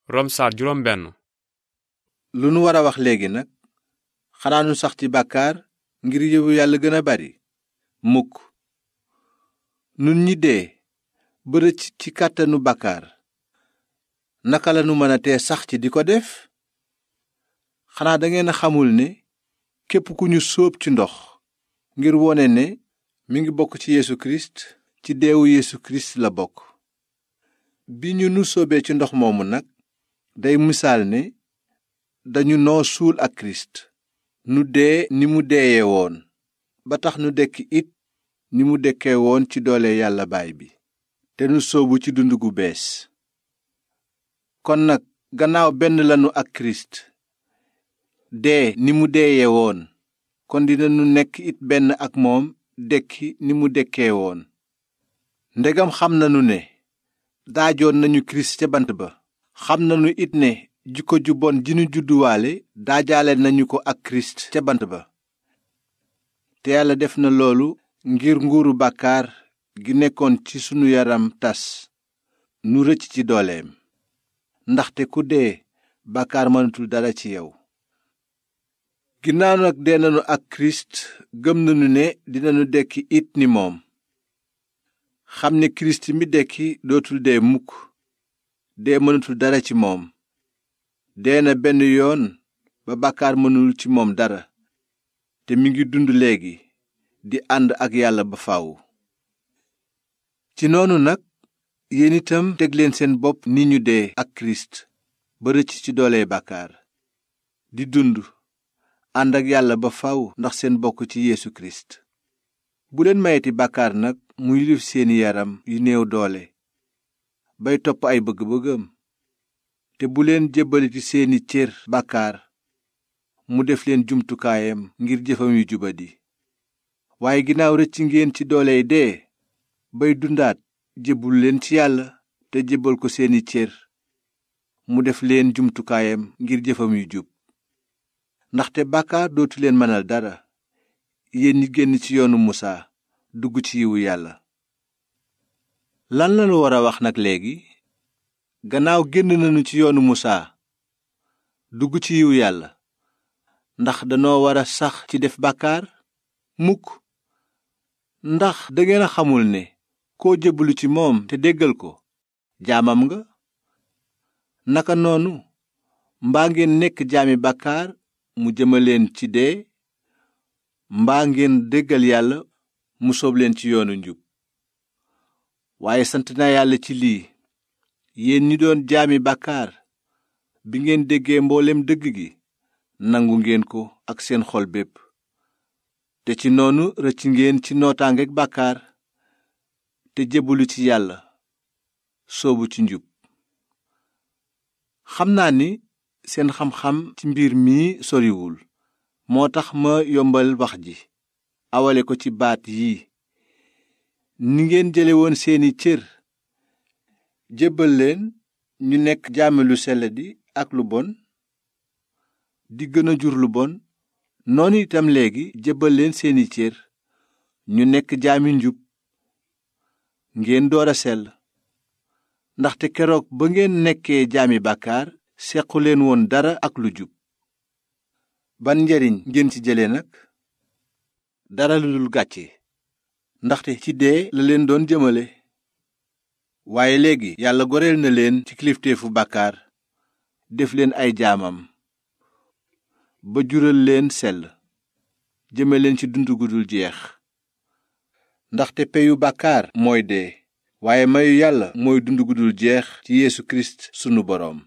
Rom saar juróom benn. lu nu war a wax léegi nag xanaa nu sax ci bàkkaar ngir yiwu yàlla gën a bari mukk nun ñi dee ba rëcc ci kàttanu bàkkaar naka lanu mën a tee sax ci di ko def xanaa dangeen a xamul ne képp ku ñu sóob ci ndox ngir wone ne mi ngi bokk ci Yeesu Kirist ci deewu Yeesu Kirist la bokk. bi ñu nu sóobee ci ndox moomu nag day misaal ne dañu noo suul ak Kirist nu dee ni mu deeye woon ba tax nu dekki it ni mu dekkee woon ci doole Yàlla Baay bi te nu sóobu ci dund gu bees. kon nag gannaaw benn lanu ak Kirist dee ni mu deeye woon kon dinanu nekk it benn ak moom dekki ni mu dekkee woon. ndegam xam nanu ne daajoon nañu Kirist ca bant ba xam nanu it ne jikko ju bon ji nu judduwaale daajaale nañu ko ak Kirist ca bant ba te Yàlla def na loolu ngir nguuru bàkkaar gi nekkoon ci sunu yaram tas nu rëcc ci dooleem ndaxte ku dee bàkkaar mënatul dara ci yow. ginnaaw nag dee nanu ak Kirist gëm nanu ne dinanu dekki it ni moom xam ne Kirist mi dekki dootul dee mukk dee mënatul dara ci moom dee na benn yoon ba bàkkaar mënul ci moom dara te mi ngi dund léegi di ànd ak Yàlla ba faw. ci noonu nag yéen itam teg leen seen bopp ni ñu dee ak Kirist ba rëcc ci doole bàkkaar di dund ànd ak Yàlla ba faw ndax seen bokk ci Yeesu Kirist. bu leen mayeti bàkkaar nag mu yilif seeni yaram yu néew doole bay topp ay bëgg-bëggam te bu leen jébbaliti seeni cër bàkkaar mu def leen jumtukaayam ngir jëfam yu jubadi. waaye ginnaaw rëcc ngeen ci dooley dee bay dundaat jébbul leen ci Yàlla te jébbal ko seeni cër mu def leen jumtukaayam ngir jëfam yu jub. ndaxte bàkkaar dootu leen mënal dara yéen ñi génn ci yoonu Musaa dugg ci yiwu Yàlla. lan lañu war a wax nag léegi gannaaw génn nañu ci yoonu Musaa dugg ci yiwu Yàlla ndax danoo war a sax ci def bàkkaar mukk. ndax dangeen a xamul ne koo jébbalu ci moom te déggal ko jaamam nga. naka noonu mbaa ngeen nekk jaami bàkkaar mu jëmaleen ci dee mbaa ngeen déggal Yàlla mu soob leen ci yoonu njub. waaye sant naa Yàlla ci lii yéen ñi doon jaami bàkkaar bi ngeen déggee mboolem dëgg gi nangu ngeen ko ak seen xol bépp te ci noonu rëcc ngeen ci nootaangeek bàkkaar te jébbalu ci Yàlla soobu ci njub. xam naa ni seen xam-xam ci mbir mii soriwul moo tax ma yombal wax ji awale ko ci baat yii ni ngeen jële woon seeni cër jébbal leen ñu nekk jaami lu selladi ak lu bon di gën a jur lu bon noonu itam léegi jébbal leen seeni cër ñu nekk jaami njub ngeen door a sell. ndaxte keroog ba ngeen nekkee jaami bàkkaar sequ leen woon dara ak lu jub. ban njariñ ngeen ci jële nag? dara lu dul gàcce ndaxte ci dee la leen doon jëmale. waaye léegi Yàlla goreel na leen ci kilifteefu bàkkaar def leen ay jaamam ba jural leen sell jëme leen ci dund gu dul jeex. ndaxte peyu bàkkaar mooy dee waaye mayu Yàlla mooy dund gu dul jeex ci Yeesu Kirist sunu boroom.